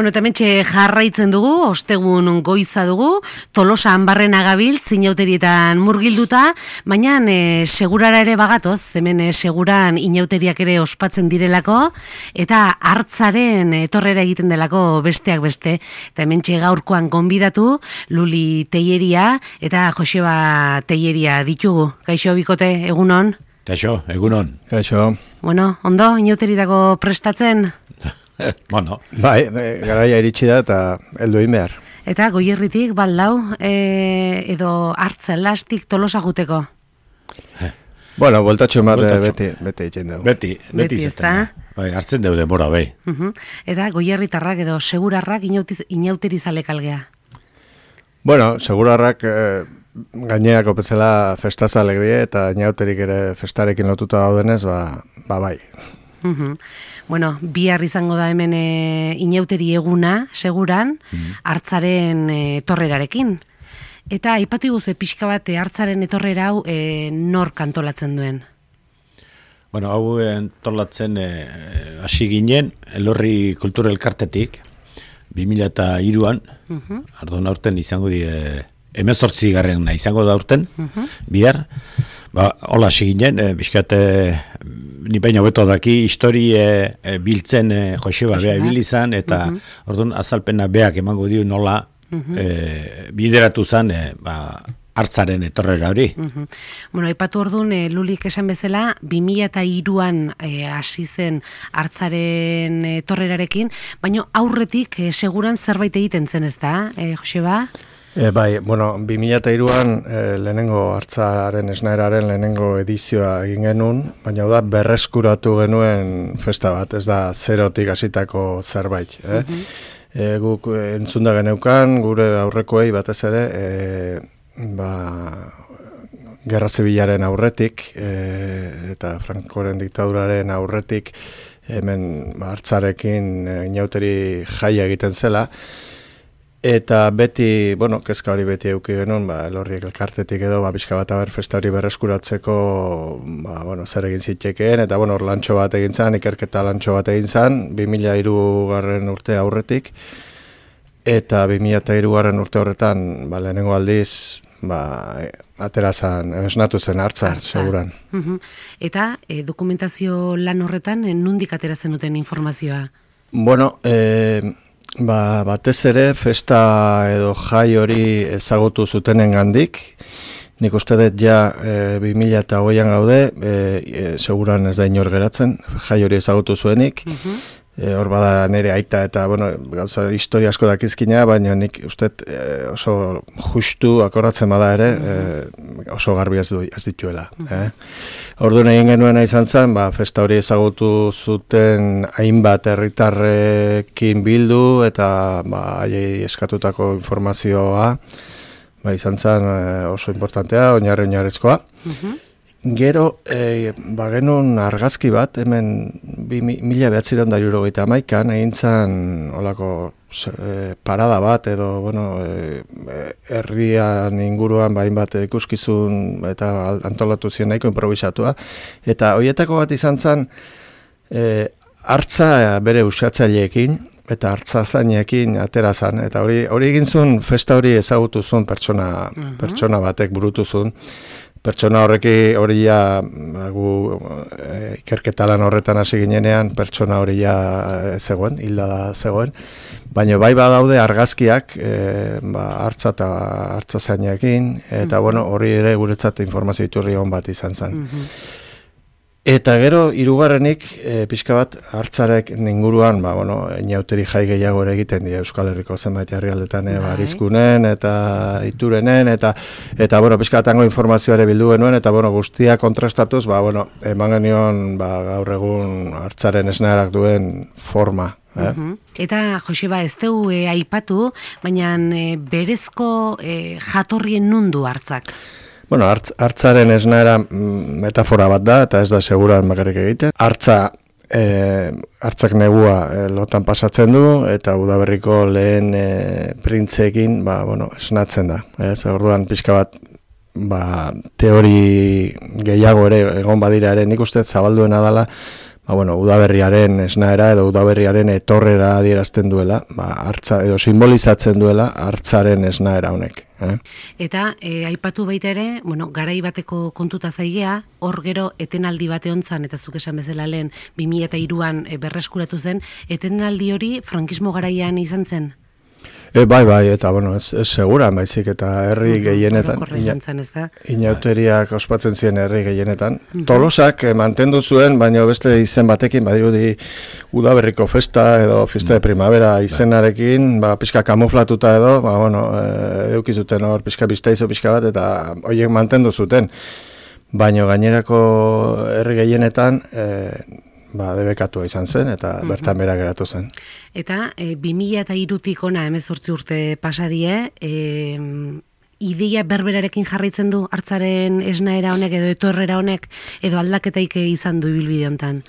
Bueno, eta hementxe jarraitzen dugu, ostegun goiza dugu, Tolosa Anbarrena gabil, zinauterietan murgilduta, baina segurara ere bagatoz, hemen seguran inauteriak ere ospatzen direlako, eta hartzaren etorrera egiten delako besteak beste. Eta hementxe gaurkoan gonbidatu, Luli Teieria eta Joseba Teieria ditugu. Kaixo bikote, egunon? Kaixo, egunon. Kaixo. Bueno, ondo, inauteritako prestatzen? Bueno. Bai, garaia iritsi da eta heldu egin behar. Eta Goierritik baldau, edo hartza elastik Tolosa juteko? Bueno, voltatxo bat beti egiten dugu. Beti ez da? Bai, hartzen dugu denbora, bai. Eta Goierritarrak edo segurarrak inauterizalek algea? Bueno, segurarrak gaineako bezala festaz alegrie eta inauterik ere festarekin lotuta daudenez, bai. Bueno, bihar izango da hemen inauteri eguna, seguran, hartzaren etorrerarekin. Eta aipatu iguzu pixka bat hartzaren etorrera hau nork antolatzen duen? Bueno, hau antolatzen hasi ginen, Elorri Kultura Elkartetik, 2003an, ardun aurten izango di, 18. izango da aurten, bihar, hola hasi ginen, bizkat, ni baina hobeto daki, historie biltzen Joseba bea bilizan, eta orduan azalpena beak emango dio nola bideratu zen hartzaren etorrera hori. Bueno, aipatu orduan, Lulik esan bezala, 2003an hasi zen hartzaren etorrerarekin, baina aurretik seguran zerbait egiten zen ez da, Joseba? Bai, bueno, 2003an lehenengo hartzaren esnaeraren lehenengo edizioa egin genuen, baina da berreskuratu genuen festa bat, ez da zerotik hasitako zerbait. Guk entzunda geneukan, gure aurrekoei batez ere, Gerra Zibilaren aurretik, eta Francoren diktaduraren aurretik, hemen hartzarekin inauteri jaia egiten zela, eta beti, kezka hori beti eduki genuen, Elorriek Elkartetik edo, pixka bat festa hori berreskuratzeko, zer egin zitekeen, eta lantxo bat egin zan, ikerketa lantxo bat egin zan, 2003 urte aurretik, eta 2003 urte horretan, lehenengo aldiz, aterazan, esnatu zen hartza, seguran. Eta dokumentazio lan horretan, nondik aterazen duten informazioa? Bueno, batez ere, festa edo jai hori ezagutu zutenen gandik. Nik uste dut ja 2008an gaude, seguran ez da inor geratzen, jai hori ezagutu zuenik. Hor bada nire aita eta, gauza historia asko dakizkina, baina nik uste oso justu akoratzen bada ere, oso garbi ez dituela. Orduan egin genuena izan zen, festa hori ezagutu zuten hainbat herritarrekin bildu eta haiei eskatutako informazioa izan zen oso importantea, oinarrizkoa. Gero, genuen argazki bat, hemen 1971an egin zen olako parada bat edo, herrian inguruan hainbat ikuskizun eta antolatu ziren nahiko improvisatua. Eta horietako bat izan zen, hartza bere usatzaileekin eta hartza zainekin atera zen. Eta hori egin zuen, festa hori ezagutu zuen pertsona batek burutu zuen. Pertsona hori ikerketa lan horretan hasi ginenean, pertsona hori zegoen, hilda da zegoen. Baina bai badaude argazkiak, hartza eta hartza zainekin, eta hori ere guretzat informazio iturri hon bat izan zen. Eta gero, hirugarrenik, pixka bat, hartzarek inguruan, inauteri jai gehiago ere egiten dira Euskal Herriko zenbait herrialdetan, Arizkunen eta Iturenen, eta pixka bat hango informazioa ere bildu genuen, eta guztia kontrastatuz, eman genion gaur egun hartzaren esnearak duen forma. Eta, Joseba, ez dugu aipatu, baina berezko jatorrien nundu hartzak? Hartzaren esnaera metafora bat da, eta ez da seguran bakarrik egiten. Hartzak negua lotan pasatzen du, eta udaberriko lehen printzeekin esnatzen da. Orduan pixka bat teori gehiago ere egon badira ere, nik uste zabalduena dela udaberriaren esnaera edo udaberriaren etorrera adierazten duela, hartza edo simbolizatzen duela hartzaren esnaera honek. Eta aipatu baita ere, garai bateko kontuta zaigea, hor gero etenaldi bate hontzan, eta zuk esan bezala lehen 2003an berreskuratu zen, etenaldi hori frankismo garaian izan zen? Bai, eta ez seguran, baizik eta herri gehienetan, inauteriak ospatzen ziren herri gehienetan. Tolosak mantendu zuen, baina beste izen batekin, badirudi udaberriko festa edo fiesta de primavera izenarekin, pixka kamuflatuta edo, edukizuten hor pixka biztaizo pixka bat, eta horiek mantendu zuten. Baina gainerako herri gehienetan, debekatua izan zen, eta bertan bera geratu zen. Eta 2003tik ona 18 urte pasadie, ideia berberarekin jarraitzen du hartzaren esnaera honek edo etorrera honek, edo aldaketaik izan du ibilbide hontan?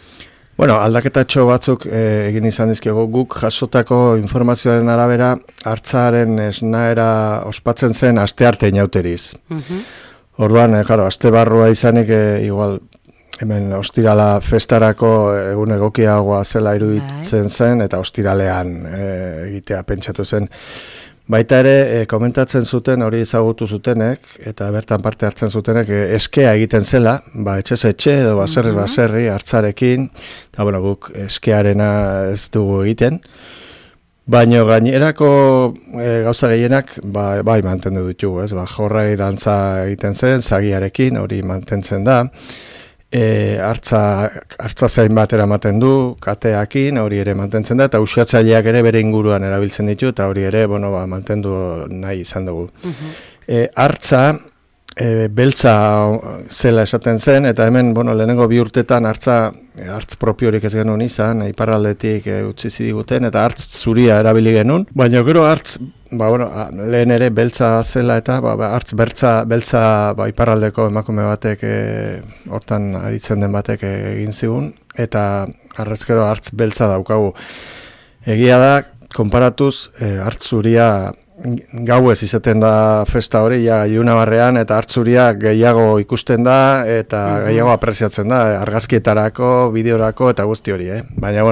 Aldaketatxo batzuk egin izan dizkigu, guk jasotako informazioaren arabera hartzaren esnaera ospatzen zen astearte inauteriz. Orduan, aste barrua izanik igual hemen ostirala festarako egun egokiagoa zela iruditzen zen, eta ostiralean egitea pentsatu zen. Baita ere, komentatzen zuten, hori ezagutu zutenek, eta bertan parte hartzen zutenek, eskea egiten zela, etxez etxe edo baserri hartzarekin, eta guk eskearena ez dugu egiten, baina gainerako gauza gehienak bai mantendu ditugu, jorrai dantza egiten zen, zagiarekin, hori mantentzen da, hartza zain bat eramaten du, kateakin, hori ere mantentzen da, eta usatzaileak ere bere inguruan erabiltzen ditu, eta hori ere, mantendu nahi izan dugu. Hartza, beltza zela esaten zen, eta hemen, lehenengo 2 urtetan hartz propiorik ez genuen izan, iparraldetik utzi zidiguten, eta hartz zuria erabili genuen, baina gero hartz, lehen ere beltza zela eta hartz beltza iparraldeko emakume batek hortan aritzen den batek egin zigun, eta hartzkero hartz beltza daukagu. Egia da, konparatuz, hartz zuria gauez izaten da festa hori, ilunabarrean, eta hartzuria gehiago ikusten da, eta gehiago apreziatzen da, argazkietarako, bideorako, eta guzti hori, Baina,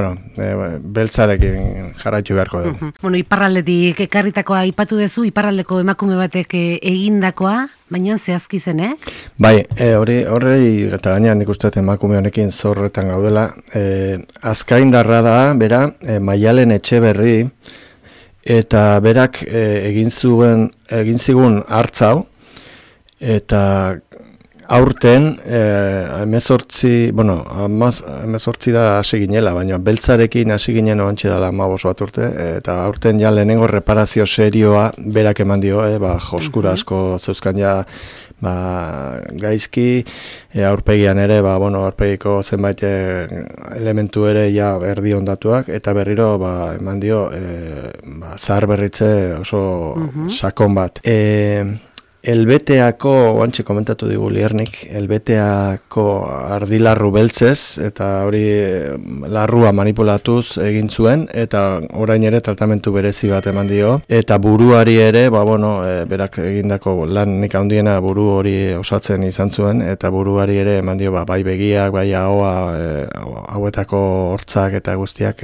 beltzarekin jarraitu beharko dugu. Iparraldetik ekarritakoa aipatu duzu, iparraldeko emakume batek egindakoa, baina zehazki zen, Bai, horrei, eta gainean nik uste emakume honekin zorretan gaudela, azkaindarra da, bera, Maialen Etxeberri, eta berak egin zigun hartzau, eta aurten 18 da hasi ginela, baina beltzarekin hasi ginen oantxe dela 15 bat urte, eta aurten lehenengo reparazio serioa berak eman dio, joskura asko zeuzkan gaizki, aurpegian ere, aurpegiko zenbait elementu ere erdi ondatuak, eta berriro eman dio zahar berritze oso sakon bat. Elbeteako, oantxe komentatu digu Liernik, elbeteako ardilarru beltzez, eta hori larrua manipulatuz egin zuen, eta orain ere tratamentu berezi bat eman dio, eta buruari ere, berak egindako lanik handiena buru hori osatzen izan zuen, eta buruari ere eman dio, bai begiak, bai hauetako hortzak eta guztiak,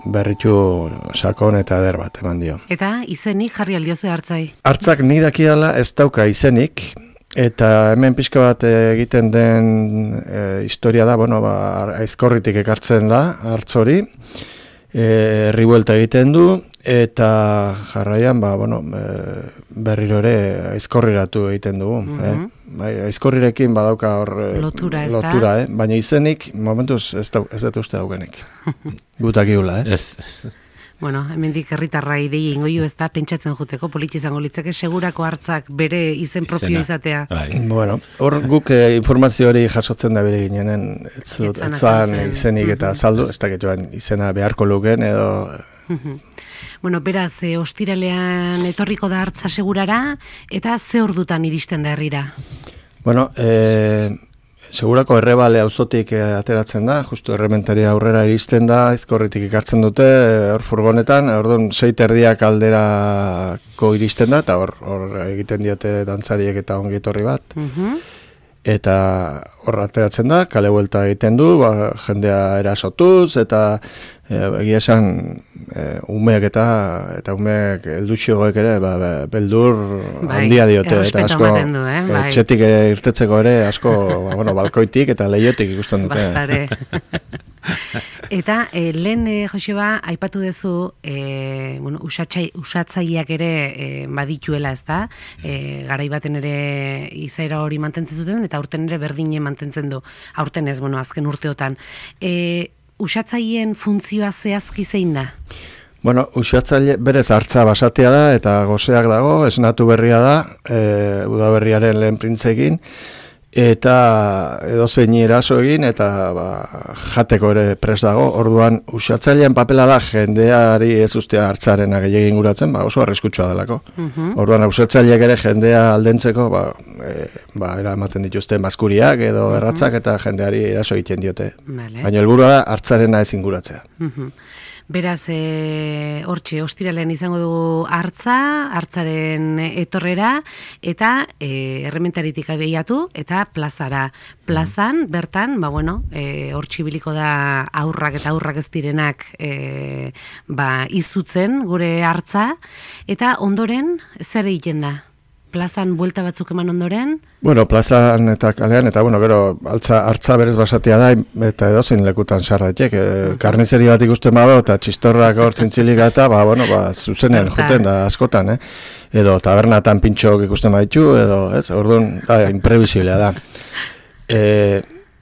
berritu sakon eta eder bat eman dio. Eta izenik jarri aldiozu hartzai? Hartzak ni dakidala ez dauka izenik, eta hemen pixka bat egiten den historia da, aizkorritik ekartzen da hartz hori, herri buelta egiten du, eta jarraian berriro ere aizkorriratu egiten dugu. Aizkorrirekin badauka hor lotura, baina izenik momentuz ez dut uste daukenik. Gutak igula, hemendik herritarrai dei ingo ju ez da pentsatzen juteko politxe izango litzake segurako hartzak bere izen propio izatea. Hor guk informazio hori jasotzen da bere ginenen, etzan izenik eta saldu, ez dakituan izena beharko luken edo... Beraz, ostiralean etorriko da hartza segurara, eta ze ordutan iristen da herrira? Segurako Errebale auzotik ateratzen da, justu Errementaria aurrera iristen da, Aizkorritik ikartzen dute, hor furgonetan, orduan 6:30 alderako iristen da, eta hor egiten diote dantzariek eta ongi etorri bat. eta hor ateratzen da, kale buelta egiten du, jendea erasotuz, eta egia esan umeek eta umeek helduxoek ere beldur handia diote, eta asko etxetik irtetzeko ere asko balkoitik eta leiotik ikusten dute. Bastare. Eta lehen Joseba aipatu duzu usatzaileak ere badituela, ezta? Garai baten ere izaera hori mantentzen zuten eta aurten ere berdine mantentzen du. Aurten ez, azken urteotan. Usatzaileen funtzioa zehazki zein da? Usatzaile berez hartza basatia da eta goseak dago, esnatu berria da, udaberriaren lehen printzekin, eta edozein eraso egin eta jateko ere prest dago. Orduan usatzailean papela da jendeari ez ustea hartzarena gehiagin inguratzen, oso arriskutsua delako. Orduan usatzaileak ere jendea aldentzeko eramaten dituzte maskuriak edo erratzak eta jendeari eraso egiten diote. Baina helburua da hartzarena ez inguratzea. Beraz, hortxe, ostiralean izango dugu hartzaren etorrera, eta errementaritik abiatu, eta plazara. Plazan, bertan, hortxe biliko da aurrak eta aurrak ez direnak izutzen gure hartza, eta ondoren, zer egiten da? Plazan buelta batzuk eman ondoren? Plazan eta kalean, eta gero hartza berez basatia da, eta edozein lekutan sar daiteke. Karnizeri bat ikusten bado, eta txistorrak hor zintzilik eta, zuzenean joten da askotan, edo tabernatan pintxok ikusten baditu, edo, orduan, imprevisiblea da.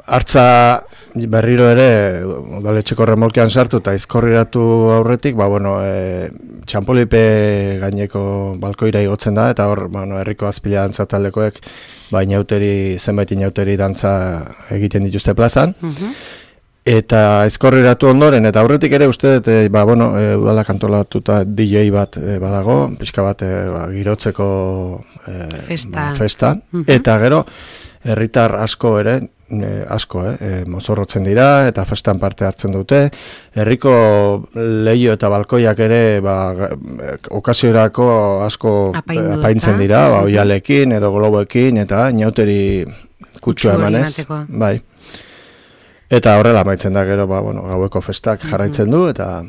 Hartza berriro ere, udaletxeko remolkean sartu eta izkorriratu aurretik, txampolipe gaineko balkoira igotzen da, eta hor, herriko azpila dantza taldekoek, zenbait inauteri dantza egiten dituzte plazan, eta izkorriratu ondoren, eta aurretik ere uste, udalak antolatuta DJ bat badago, pixka bat girotzeko festa, eta gero, herritar asko ere, mozorrotzen dira eta festan parte hartzen dute. Herriko leio eta balkoiak ere okasiorako asko apaintzen dira, oialekin edo globoekin eta inauteri kutsua emanez. Bai. Eta horrela amaitzen da gero gaueko festak jarraitzen du eta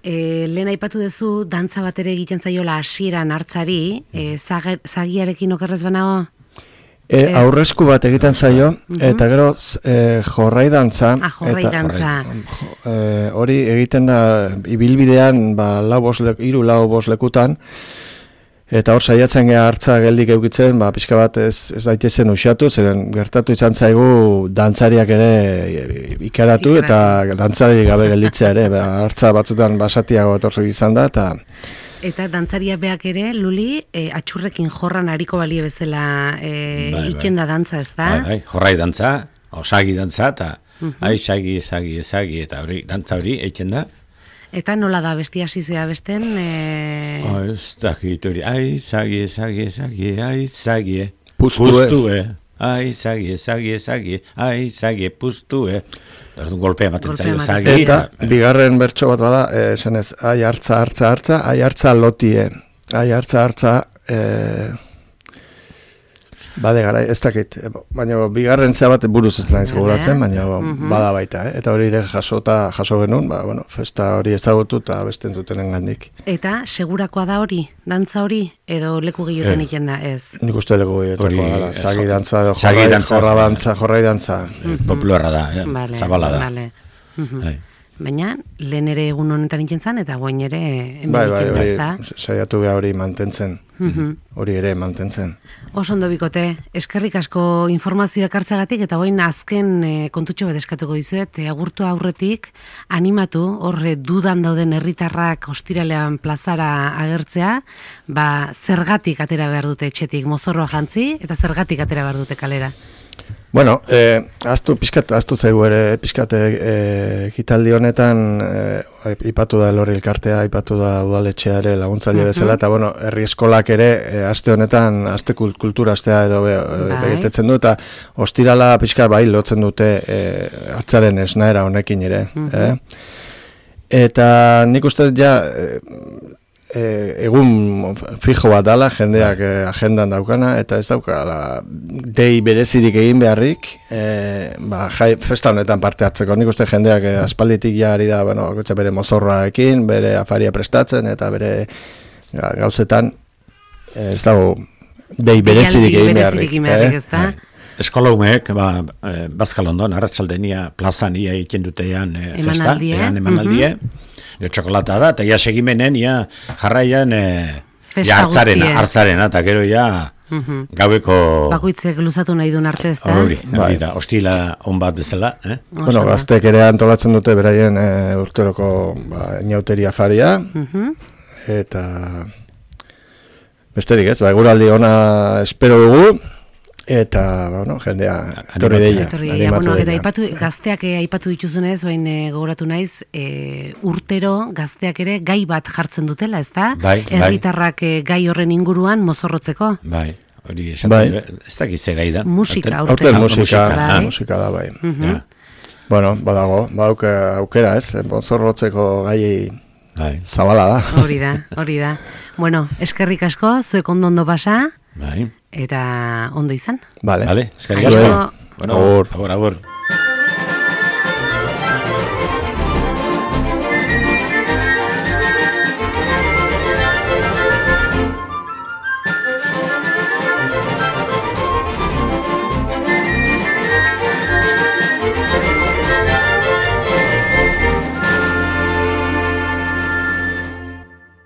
lehen aipatu duzu dantza bat ere egiten zaiola hasieran hartzari, zagiarekin okerrez banago? Aurresku bat egiten zaio, eta gero jorrai dantza. Jorrai dantza. Hori egiten da ibilbidean 3-4 lekutan, eta hor saiatzen geha hartza geldik eukitzen, pixka bat ez daitezen usatu, zeren gertatu izan zaigu dantzariak ere ikaratu eta dantzari gabe gelditzea ere, hartza batzutan basatiago etorri izan da, Eta dantzaria beak ere, Luli, atxurrekin jorran hariko balie bezala iken da dantza, ez da? Jorrai dantza, osagi dantza, eta sagi, eta dantza hori eitzen da. Eta nola da, besti hasizea besten? Ez dakit hori, sagi, puztue. Sagi, puztue. Orduan golpea ematen zaio sagi. Eta bigarren bertso bat bada, esanez, hartza lotie. Hartza, bade gara, ez dakit. Baina bigarren zea bat buruz ez naiz gogoratzen, baina bada baita. Eta hori ere jaso genuen, festa hori ezagutu eta beste entzutenen gandik. Eta segurakoa da hori, dantza hori, edo leku gehioten iken da, ez? Nik uste leku gehiotekoa dala, sagi dantza edo jorrai dantza. Popularra da, zabala da. Baina, lehen ere egun honetan iken zan, eta guain ere hemen iken da, ez da? Saiatu beha hori mantentzen, hori ere mantentzen. Oso ondo bikote, eskerrik asko informazioak hartzagatik, eta guain azken kontutxo bat eskatuko dizuet, agurtu aurretik, animatu, horre dudan dauden herritarrak ostiralean plazara agertzea, zergatik atera behar dute etxetik mozorroa jantzi, eta zergatik atera behar dute kalera. Aztu zaigu ere, ekitaldi honetan ipatu da Elorri elkartea, ipatu da udaletxea ere laguntzaile bezala, eta herri eskolak ere aste honetan, aste kultura astea edo begetetzen du, eta ostirala lotzen dute hartzaren esnaera honekin ere. Eta nik uste egun fijo bat dala, jendeak agendan daukana, eta ez daukala dei berezirik egin beharrik, festa honetan parte hartzeko. Nik uste jendeak aspalditik jari da, gotxa bere mozorrarekin, bere afaria prestatzen, eta bere gauzetan ez dago dei berezirik egin beharrik. Ez da? Eskola humeek, Bazkalondon, arratsaldenia plazan ia egiten dutean festa, emanaldie, txokolata da, eta ia segimenen, jarraian hartzaren, eta gero gaueko... Bakoitzek luzatu nahi duen arte ez da? Hori da, hostila on bat dezela. Gaztek ere antolatzen dute beraien urteroko inauteria faria, eta besterik ez, eguraldi ona espero dugu, eta, jendea etorri deia. Eta gazteak aipatu dituzunez, oain gogoratu naiz, urtero gazteak ere gai bat jartzen dutela, ez da? Herritarrak gai horren inguruan mozorrotzeko. Bai, hori esan, ez dakit ze gai da. Musika, urtero. Musika da, bai. Bueno, badauke aukera, ez? Mozorrotzeko gai zabala da. Hori da. Bueno, eskerrik asko, zuek ondo pasa. Bai. Eta ondo izan. Vale. Eskerrik asko. Agur.